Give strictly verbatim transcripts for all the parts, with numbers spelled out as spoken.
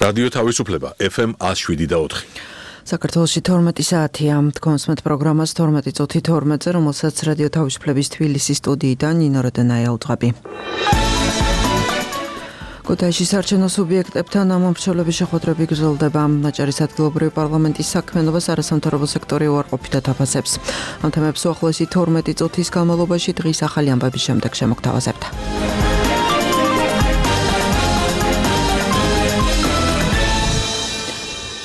რადიო თავისუფლება ეფ ემ ათს შვიდი და ოთხი. საქართველოში თორმეტი საათია. თქვენს პროგრამას თორმეტი წუთი თორმეტზე, რომელსაც რადიო თავისუფლების თბილისის სტუდიიდან ნინო როდენაია უძღვები. ქუთაისში საარჩევნო სუბიექტებთან ამომრჩევლების შეხვედრები გრძელდება. ნაჭარის ადგილობრივი პარლამენტის საქმიანობას არასამთავრობო სექტორი უარყოფითად აფასებს. ამ თემებს უახლოესი თორმეტი წუთის განმავლობაში დღის ახალი ამბების შემდეგ შემოგთავაზებთ.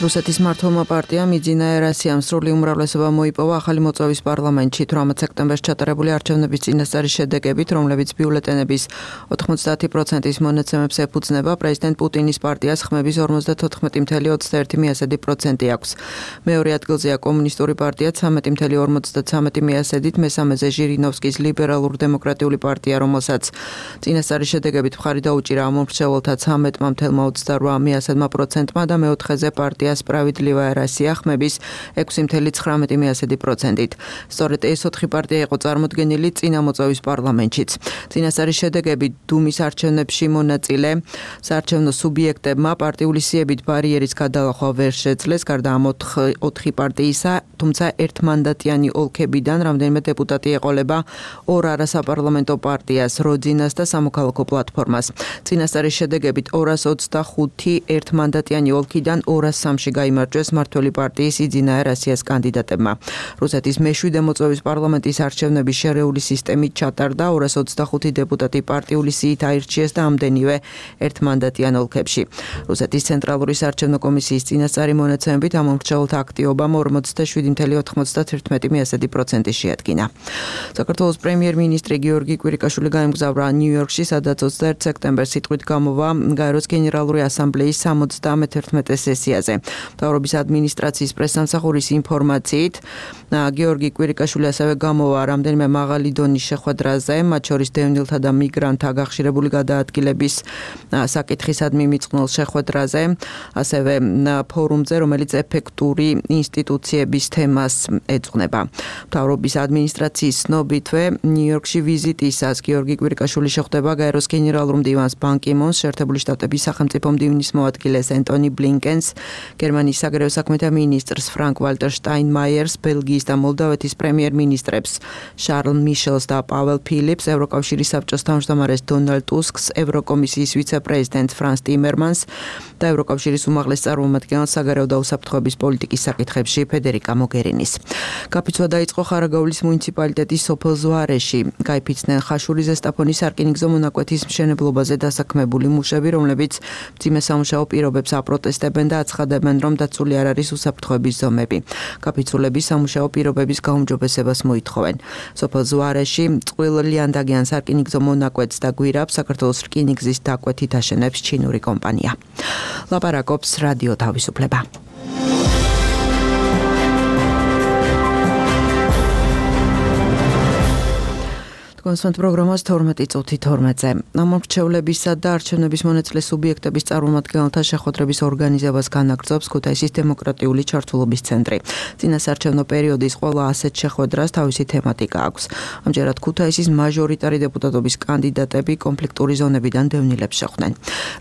რუსეთის მმართველმა პარტიამ იძინა ერასიამ სრული უმრავლესობა მოიპოვა ახალი მოწვევის პარლამენტში თვრამეტ სექტემბერს ჩატარებული არჩევნების წინასწარი შედეგებით, რომლებიც ბიულეტენების ოთხმოცდაათი პროცენტის მონაცემებს ეფუძნება. პრეზიდენტ პუტინის პარტიას ხმების ორმოცდათოთხმეტი წუთი ოცდაერთი პროცენტი აქვს. მეორე ადგილზეა კომუნისტური პარტია ცამეტი წუთი ორმოცდაცამეტი პროცენტით, მესამეზე ჟირინოვსკის ლიბერალურ-დემოკრატიული პარტია, რომელსაც წინასწარი შედეგებით მხარი დაუჭირა ამომრჩეველთა ცამეტი წუთი ოცდაოთხ პროცენტმა და მეოთხეზე პარტია სპრავიდლივაია რასია ხმების ექვსი წუთი ცხრამეტი პროცენტით. სწორედ ეს ოთხი პარტია იყო წარმოდგენილი წინა მოწვევის პარლამენტშიც. წინასწარი შედეგები დუმის არჩევნებში მონაწილე საარჩევნო სუბიექტებმა პარტიული სიებით ბარიერის გადალახვა ვერ შეძლეს, გარდა ამ ოთხი პარტიისა, თუმცა ერთმანდატიანი ოლქებიდან რამდენიმე დეპუტატი ეყოლება ორ არასაპარლამენტო პარტიას, როძინას და სამოქალაქო პლატფორმას. წინასწარი შედეგებით ორას ოცდახუთი ერთმანდატიანი ოლქიდან ორას სამში გაიმარჯვეს მმართველი პარტიის იძინა ერასიას კანდიდატებმა. რუსეთის მეშვიდე მოწვევის პარლამენტის არჩევნების შერეული სისტემით ჩატარდა, ორას ოცდახუთი დეპუტატი პარტიული სიით აირჩიეს და ამდენივე ერთმანდატიან ოლქებში. რუსეთის ცენტრალური საარჩევნო კომისიის წინასწარი მონაცემებით ამომრჩეველთა აქტივობამ ორმოცდაშვიდი წუთი ოთხმოცდათერთმეტი პროცენტი შეადგინა. საქართველოს პრემიერ-მინისტრი გიორგი კვირიკაშვილი გაემგზავრა ნიუ-იორკში, სადაც ოცდაერთი სექტემბერს სიტყვით გამოვა გაეროს გენერალური ასამბლეის სამოცდამეთერთმეტე სესიაზე. მთავრობის ადმინისტრაციის პრესსამსახურის ინფორმაციით, გიორგი კვირიკაშვილი ასევე გამოვა რამდენიმე მაღალი დონის შეხვედრაზე, მათ შორის დევნილთა და მიგრანტთა გახშირებული გადაადგილების საკითხისადმი მიწყნულ შეხვედრაზე, ასევე ფორუმზე, რომელიც ეფექტური ინსტიტუციების თემას ეძღვნება. მთავრობის ადმინისტრაციის ცნობითვე, ნიუ-იორკში ვიზიტისას გიორგი კვირიკაშვილი შეხვდება გაეროს გენერალურ მდივანს ბან კი მუნს, შეერთებული შტატების სახელმწიფო მდივნის მოადგილეს ენტონი ბლინკენს, გერმანიის საგარეო საქმეთა მინისტრს ფრანკ ვალტერ შტაინმაიერს, ბელგიის და მოლდავეთის პრემიერ-მინისტრებს შარლ მიშელს და პაველ ფილიპს, ევროკავშირის საბჭოს თავმჯდომარეს დონალდ ტუსკს, ევროკომისიის ვიცე-პრეზიდენტს ფრანს ტიმერმანს და ევროკავშირის უმაღლეს წარმომადგენელს საგარეო და უსაფრთხოების პოლიტიკის საკითხებში ფედერიკა მოგერინის. გაფიცვა დაიწყო ხარაგაულის მუნიციპალიტეტის სოფელ ზვარეში. გაიფიცნენ ხაშური ზესტაფონის სარკინიგზო მონაკვეთის მშენებლობაზე დასაქმებული მუშები, რომლებიც მძიმე სამუშაო პირობებს აპროტესტებენ და აცხადებენ, რომ დაცული არ არის უსაფრთხოების ზომები. გაფიცულები სამუშაო პირობების გაუმჯობესებას მოითხოვენ. სოფელ ზვარეში წყვილ ლიანდაგიან სარკინიგზო მონაკვეთს და გვირაბს საქართველოს რკინიგზის დაკვეთით აშენებს ჩინური კომპანია. ლაპარაკობს რადიო თავისუფლება. კონსვენტ პროგრამას თორმეტი წუთი თორმეტზე. ამომრჩევლებისა და არჩევნების მონაწილე სუბიექტების წარმომადგენელთა შეხვედრების ორგანიზებას განაგრძობს ქუთაისის დემოკრატიული ჩართულობის ცენტრი. წინასაარჩევნო პერიოდის ყველა ასეთ შეხვედრას თავისი თემატიკა აქვს. ამჯერად ქუთაისის მაჟორიტარი დეპუტატობის კანდიდატები კონფლიქტური ზონებიდან დევნილებს შეხვდნენ.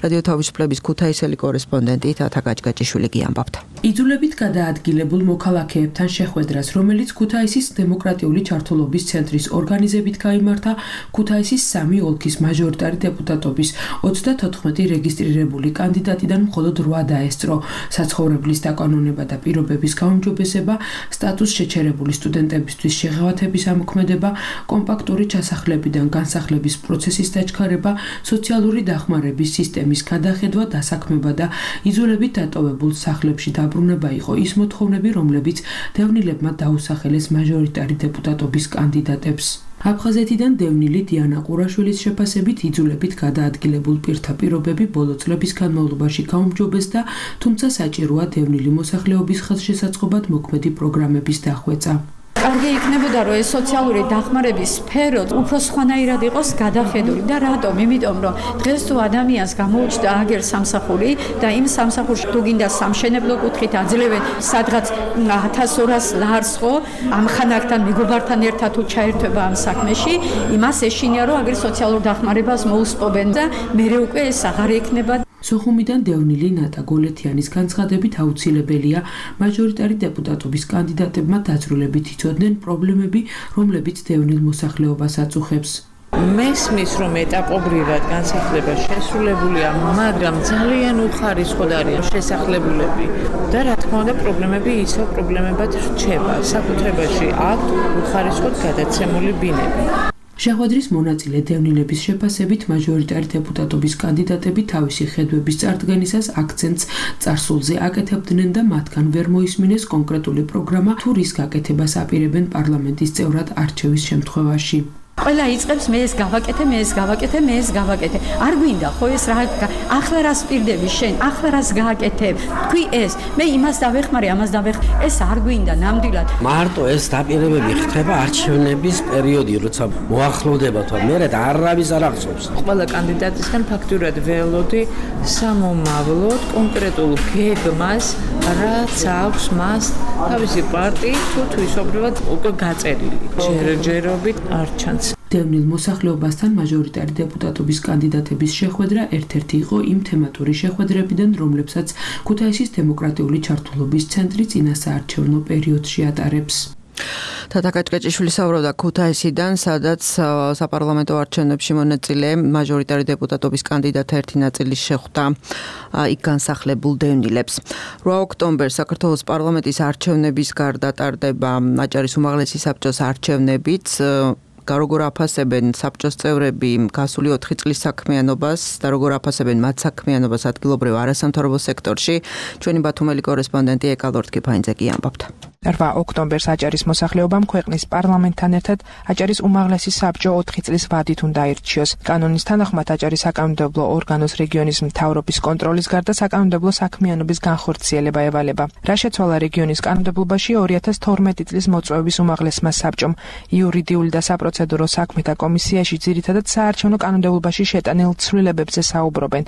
რადიო თავისუფლების ქუთაისელი კორესპონდენტი თათა გაჭგაჭიშვილი გიამბობთ. იძულებით გადაადგილებულ მოქალაქეებთან შეხვედრას, რომელიც ქუთაისის დემოკრატიული ჩართულობის ცენტრის ორგანიზებით გაიმართა, ქუთაისის სამი ოლქის მაჟორიტარი დეპუტატობის ოცდათოთხმეტი რეგისტრირებული კანდიდატიდან მხოლოდ რვა დაესწრო. საცხოვრებლის დაკანონება და პირობების გაუმჯობესება, სტატუს შეჩერებული სტუდენტებისთვის შეღავათების ამოქმედება, კომპაქტური ჩასახლებიდან განსახლების პროცესის დაჩქარება, სოციალური დახმარების სისტემის გადახედვა, დასაქმება და იძულებით დატოვებულ სახლებში დაბრუნება იყო ის მოთხოვნები, რომლებიც დევნილებმა დაუსახელეს მაჟორიტარი დეპუტატობის კანდიდატებს. აფხაზეთიდან დევნილი დიანა ყურაშვილის შეფასებით იძულებით გადაადგილებულ პირთა პირობები ბოლო წლების განმავლობაში გაუმჯობესდა, თუმცა საჭიროა დევნილი მოსახლეობის ხელშესაწყობად მოქმედი პროგრამების დახვეწა. კარგი იქნებოდა, რომ ეს სოციალური დახმარების სფერო უფრო სხვანაირად იყოს გადახედული და რატომ? იმიტომ რომ დღეს თუ ადამიანს გამოუჩნდა აგერ სამსახური და იმ სამსახურში თუ გინდა სამშენებლო კუთხით აძლევენ სადღაც ათას ორას ლარს ხო, ამ ხანაკთან მეგობართან ერთად თუ ჩაერთვება ამ საქმეში, იმას ეშინია რომ აგერ სოციალურ დახმარებას მოუსწობენ და მერე უკვე ეს აღარ ექნება. სოხუმიდან დევნილი ნატა გოლეთიანის განცხადებით აუცილებელია მაჟორიტარი დეპუტატობის კანდიდატებმა დაძრულებით იცოდნენ პრობლემები, რომლებიც დევნილ მოსახლეობას აწუხებს. მესმის რომ ეტაპობრივად განსახლება შესრულებულია, მაგრამ ძალიან უხარისხოდ არის შესახლებულები და რა თქმა უნდა პრობლემები ისევ პრობლემებად რჩება. საკუთრებაში აქვთ უხარისხოდ გადაცემული ბინები. შეხვედრის მონაწილე დევნილების შეფასებით მაჟორიტარი დეპუტატობის კანდიდატები თავისი ხედვების წარდგენისას აქცენტს წარსულზე აკეთებდნენ და მათგან ვერ მოისმინეს კონკრეტული პროგრამა თუ რის გაკეთებას აპირებენ პარლამენტის წევრად არჩევის შემთხვევაში. ყველა იწყებს მე ეს გავაკეთე, მე ეს გავაკეთე, მე ეს გავაკეთე. არ გვინდა ხო ეს რა ახლა რას პირდები შენ, ახლა რას გააკეთებ? თქვი ეს, მე იმას დავეხმარე, ამას დავეხმარე. ეს არ გვინდა ნამდვილად. მარტო ეს დაპირებები ხდება არჩევნების პერიოდი, როცა მოახლოვდება თვა, მერე არავის არ აღწევს. ყველა კანდიდატისგან ფაქტურად ველოდი სამომავლოდ კონკრეტულ გეგმას, რაც აქვს მას თავისი პარტიით თუ თვისობრივად უკვე გაწერილი. ჯერჯერობით არ ჩანს. დევნილ მოსახლეობასთან მაჟორიტარი დეპუტატობის კანდიდატების შეხვედრა ერთ-ერთი იყო იმ თემატური შეხვედრებიდან, რომლებსაც ქუთაისის დემოკრატიული ჩართულობის ცენტრი წინასაარჩევნო პერიოდში ატარებს. თათა კაჭკაჭიშვილი საუბრობდა ქუთაისიდან, სადაც საპარლამენტო არჩევნებში მონაწილე მაჟორიტარი დეპუტატობის კანდიდატთა ერთი ნაწილი შეხვდა იქ განსახლებულ დევნილებს. რვა ოქტომბერს საქართველოს პარლამენტის არჩევნების გარდა ტარდება აჭარის უმაღლესი საბჭოს არჩევნებიც. როგორ აფასებენ საბჭოს წევრები გასული ოთხი წლის საქმიანობას და როგორ აფასებენ მათ საქმიანობას ადგილობრივ არასამთავრობო სექტორში, ჩვენი ბათუმელი კორესპონდენტი ეკალორდ კიფაინძე ამბობთ. რვა ოქტომბერს აჭარის მოსახლეობამ ქვეყნის პარლამენტთან ერთად აჭარის უმაღლესი საბჭო ოთხი წლის ვადით უნდა აირჩიოს. კანონის თანახმად აჭარის საკანონმდებლო ორგანოს რეგიონის მთავრობის კონტროლის გარდა საკანონმდებლო საქმიანობის განხორციელება ევალება. რა შეცვალა რეგიონის კანონმდებლობაში ორი ათას თორმეტი წლის მოწვევის უმაღლესმა საბჭომ იურიდიული და საპროცედურო საქმეთა კომისიაში ძირითადად საარჩევნო კანონმდებლობაში შეტანილ ცვლილებებზე საუბრობენ.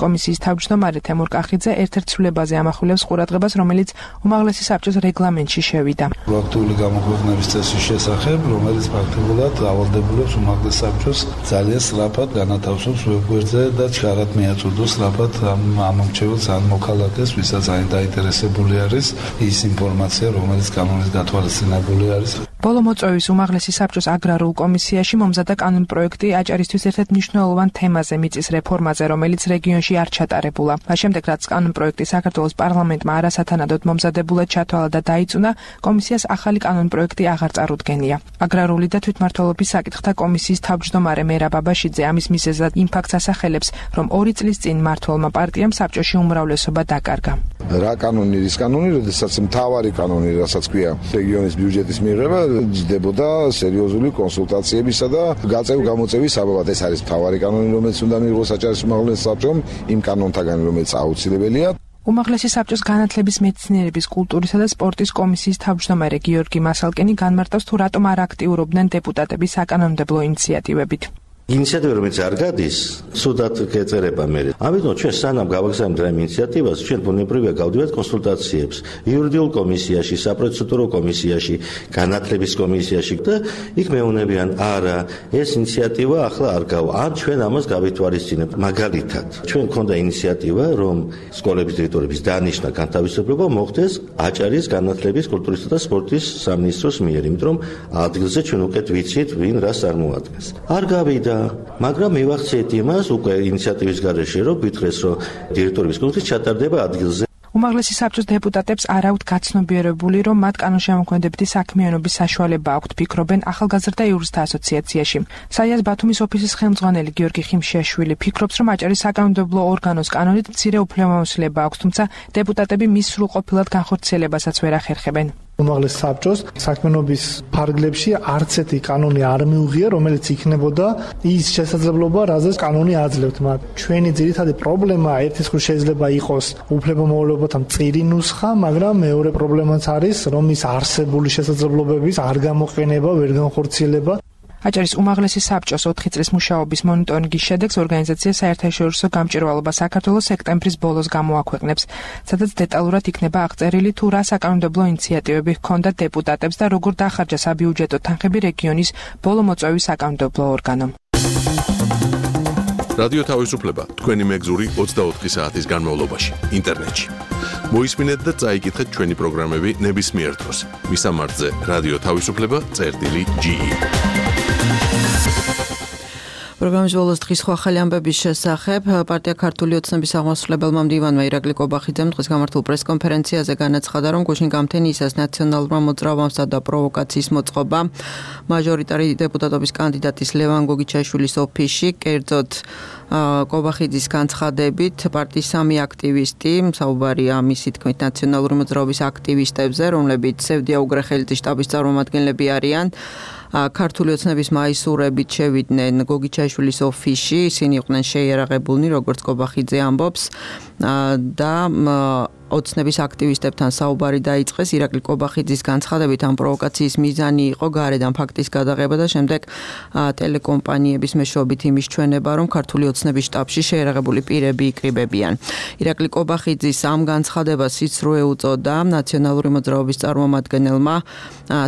კომისიის თავმჯდომარე თემურ კახიძე ერთ-ერთ ცვლილებაზე ამახვილებს ყურადღებას, რომელიც უმაღლესი საბჭოს რეგლამენტში შევიდა. პროაქტიული გამოქვეყნების წესის შესახებ, რომელიც პრაქტიკულად ავალდებულებს უმაღლეს საბჭოს ძალიან სწრაფად განათავსოს ვებგვერდზე და ჩქარად მიაწოდოს სწრაფად ამ ამომრჩეველს ან მოქალაქეს, ვისაც დაინტერესებული არის ის ინფორმაცია, რომელიც კანონის გათვალისწინებული არის. ბოლო მოწვევის უმაღლესი საბჭოს აგრარულ კომისიაში მომზადდა კანონპროექტი აჭარისთვის ერთ-ერთ მნიშვნელოვან თემაზე მიწის რეფორმაზე, რომელიც რეგიონში არ ჩატარებულა. მას შემდეგ, რაც კანონპროექტი საქართველოს პარლამენტმა არასათანადოდ მომზადებულად ჩათვალა და დაიწუნა, კომისიას ახალი კანონპროექტი აღარ წარუდგენია. აგრარული და თვითმმართველობის საკითხთა კომისიის თავმჯდომარე მერაბ ბაბაშიძე ამის მიზეზად იმ ფაქტს ასახელებს, რომ ორი წლის წინ მმართველმა პარტიამ საბჭოში უმრავლესობა დაკარგა. რა კანონი, ის კანონი, როდესაც მთავარი კანონი, რასაც ქვია რეგიონის ბიუჯეტის მიღება, ჯდებოდა სერიოზული კონსულტაციებისა და გაწევ გამოწევის საბაბად. ეს არის მთავარი კანონი, რომელიც უნდა მიიღოს აჭარის უმაღლეს საბჭომ, იმ კანონთაგან, რომელიც აუცილებელია. უმაღლესი საბჭოს განათლების, მეცნიერების, კულტურისა და სპორტის კომისიის თავმჯდომარე გიორგი მასალკენი განმარტავს, თუ რატომ არ აქტიურობდნენ დეპუტატები საკანონმდებლო ინიციატივებით. ინიციატივა რომელიც არ გადის, სუდად გეწერება მე. ამიტომ ჩვენ სანამ გავაგზავნებთ ამ ინიციატივას, ჩვენ ბუნებრივია გავდივართ კონსულტაციებს იურიდიულ კომისიაში, საპროცედურო კომისიაში, განათლების კომისიაში და იქ მეუბნებიან, არა, ეს ინიციატივა ახლა არ გავა. ან ჩვენ ამას გავითვალისწინებთ. მაგალითად, ჩვენ გქონდა ინიციატივა, რომ სკოლების დირექტორების დანიშნა განთავისუფლება მოხდეს აჭარის განათლების, კულტურისა და სპორტის სამინისტროს მიერ, იმიტომ რომ ადგილზე ჩვენ უკეთ ვიცით, ვინ რას წარმოადგენს. არ გავიდა, მაგრამ მივახციეთ იმას უკვე ინიციატივის გარეშე, რომ გითხრეს, რომ დირექტორების კონკურსი ჩატარდება ადგილზე. უმაღლესი საბჭოს დეპუტატებს არ აქვთ გაცნობიერებული, რომ მათ კანონშემოქმედებითი საქმიანობის საშუალება აქვთ, ფიქრობენ ახალგაზრდა იურისტთა ასოციაციაში. საიას ბათუმის ოფისის ხელმძღვანელი გიორგი ხიმშიაშვილი ფიქრობს, რომ აჭარის საკანონმდებლო ორგანოს კანონით მცირე უფლებამოსილება აქვს, თუმცა დეპუტატები მის სრულყოფილად განხორციელებასაც ვერ ახერხებენ. უმაღლეს საბჭოს საქმიანობის ფარგლებში არც ერთი კანონი არ მიუღია, რომელიც იქნებოდა ის შესაძლებლობა, რაზეც კანონი აძლევთ მათ. ჩვენი ძირითადი პრობლემა ერთის მხრივ შეიძლება იყოს უფლებამოვალეობათა მწირი ნუსხა, მაგრამ მეორე პრობლემაც არის, რომ ის არსებული შესაძლებლობების არ გამოყენება, ვერ განხორციელება. აჭარის უმაღლესი საბჭოს ოთხი წლის მუშაობის მონიტორინგის შედეგს ორგანიზაცია საერთაშორისო გამჭირვალობა საქართველოს სექტემბრის ბოლოს გამოაქვეყნებს, სადაც დეტალურად იქნება აღწერილი, თუ რა საკანონმდებლო ინიციატივები ჰქონდა დეპუტატებს და როგორ დახარჯა საბიუჯეტო თანხები რეგიონის ბოლო მოწვევის საკანონმდებლო ორგანომ. რადიო თავისუფლება თქვენი მეგზური ოცდაოთხი საათის განმავლობაში ინტერნეტში. მოისმინეთ და წაიკითხეთ ჩვენი პროგრამები ნებისმიერ დროს. მისამართზე რადიო თავისუფლება წერტილი ჯი ი. პროგრამის ბოლოს დღის სხვა ახალი ამბების შესახებ პარტია ქართული ოცნების აღმასრულებელმა მდივანმა ირაკლი კობახიძემ დღეს გამართულ პრესკონფერენციაზე განაცხადა, რომ გუშინ გამთენიისას ნაციონალურმა მოძრაობამ და პროვოკაციის მოწყობა მაჟორიტარი დეპუტატობის კანდიდატის ლევან გოგიჩაშვილის ოფისში, კერძოდ კობახიძის განცხადებით პარტიის სამი აქტივისტი, საუბარია მისი თქმით ნაციონალური მოძრაობის აქტივისტებზე, რომლებიც სევდია უგრეხელიძის შტაბის წარმომადგენლები არიან, ქართული ოცნების მაისურებით შევიდნენ გოგიჩაშვილის ოფისში, ისინი იყვნენ შეიარაღებულნი, როგორც კობახიძე ამბობს და ოცნების აქტივისტებთან საუბარი დაიწყეს. ირაკლი კობახიძის განცხადებით ამ პროვოკაციის მიზანი იყო გარედან ფაქტის გადაღება და შემდეგ ტელეკომპანიების მეშვეობით იმის ჩვენება, რომ ქართული ოცნების შტაბში შეიარაღებული პირები იკრიბებიან. ირაკლი კობახიძის ამ განცხადებას სიცრუე უწოდა ნაციონალური მოძრაობის წარმომადგენელმა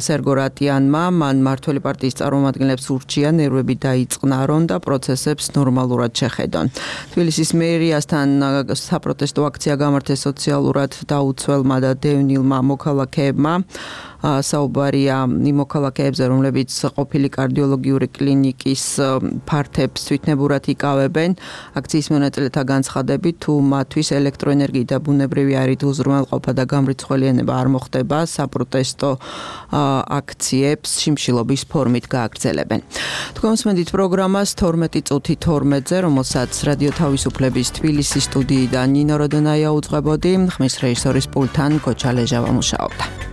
სერგო რატიანმა, მან მართველი პარტიის წარმომადგენლებს ურჩია ნერვები დაიწყნარონ და პროცესებს ნორმალურად შეხედონ. თბილისის მერიასთან საპროტესტო აქცია გამართეს სოციალურ დაუცველმა და დევნილმა მოქალაქეებმა. საუბარია იმ მოქალაქეებზე, რომლებიც ყოფილი კარდიოლოგიური კლინიკის ფართებს თვითნებურად იკავებენ. აქციის მონაწილეთა განცხადებით, თუ მათთვის ელექტროენერგიით და ბუნებრივი არით უზრუნველყოფა და გამრიცხველიანება არ მოხდება, საპროტესტო აქციებს შიმშილობის ფორმით გააგრძელებენ. თქვენ მსმენთ პროგრამას თორმეტი წუთი თორმეტზე, რომელსაც რადიო თავისუფლების თბილისის სტუდიიდან ნინო როდონაია უძღვებოდი, ხმის რეჟისორის პულტთან გოჩა ლეჟავა მუშაობდა.